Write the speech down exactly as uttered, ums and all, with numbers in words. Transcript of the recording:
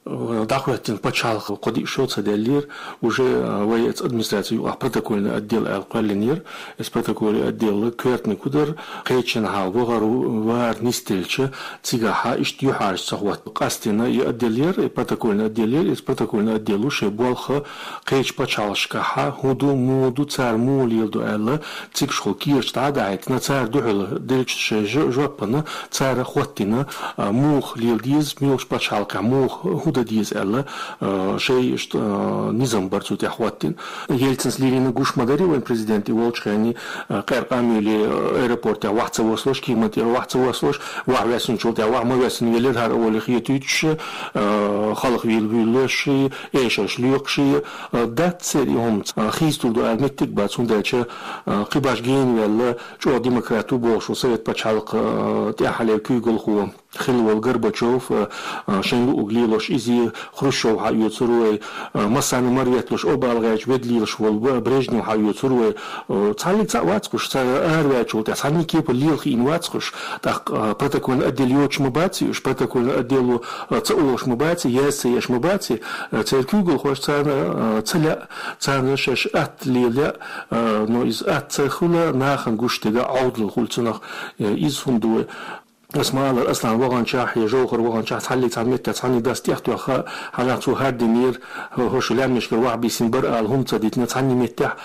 ДӀахоттийна пачхьалкх кхо-диъ шо ца даьллера, уже вай эца администраци юкъахь протокольный отдел аьлла кхоьллинера. Эца протокольный отдел коьртаниг хӀу дара, кхечанхьа хьалха вахар, вар нисделча, цигахьа иштта юьхьӀаьржа ца хӀоттийна. Къаьстина и отдел яр, и протокольный отдел яр, эца протокольный отдело шайн болх кхечу пачхьалкхашкахьа хӀун ду, муха ду, цара муха леладо аьлла, цигахьа кехаташ дӀа а дахьийтина, цара дуьхьал деллачу шайн жо-, жоппана цара хӀоттийна, а, муха леладе деза, муьлхачу пачхьалкхехь муха хӀу дан деза аьлла, а, шайн иштта, а, низам бар цу тӀехь хӀоттийна. Ельцинс лелийна гуш ма дарий вайн президент и волчу хенахь, а, къаьркъа а муьйлий, а, аэропортехь вахь ца воссалуш, кеман тӀера вахь ца воссалуш, вахь воьссинчул тӀаьхьа вахь ма воьссина велира хӀара олий хетуьйтуш, а, халха вийла вуьйлалуш, эшарш лоькхуш, а, дац церан и хӀума. А, хийцалур ду аьлла меттиг бац, хӀунда аьлча, а, кхин башха гена ваьлла, чӀогӀа демократ ву бохуш ву Совет пачхьалкх, а, тӀаьххьара куьйгалхо хилла волу Горбачев, а, а, шайна луъург лелош иза, Хрущев хьаоьцур вай, а, массарна а мара ветталуш, обалгӀачу ведда лелаш волу Б-, Брежнев хьаоьцур вай. А, цхьаллиг цхьаъ вац кхуш, цара араваьллачул тӀаьхьа цхьанна а кепара лела хиъна вац кхуш. ТӀаккха, а, протокольный отдел йоцуш ма баций уьш, протокольный отдело, а, ца олуш ма баций, яз ца еш ма баций, а, церан куьйгалхоша царна, а, ца лаьа, царна шаьш атта лела лаьа, а, но иза атта ца хила, нахана гуш дерг Ӏовдал хуьлу цунах, а, иза хӀума ду вай. Ас ма аллара, Аслан ваханчохь я Жовхар ваханчохь цхьаллиг цхьана меттехь цхьанна дас тӀехтоьхна, хьанах цо хӀара динера, хӀо-, хӀорш лаьмнашкара вахь бийсина бара ала хӀума ца дитина цхьанна меттехь.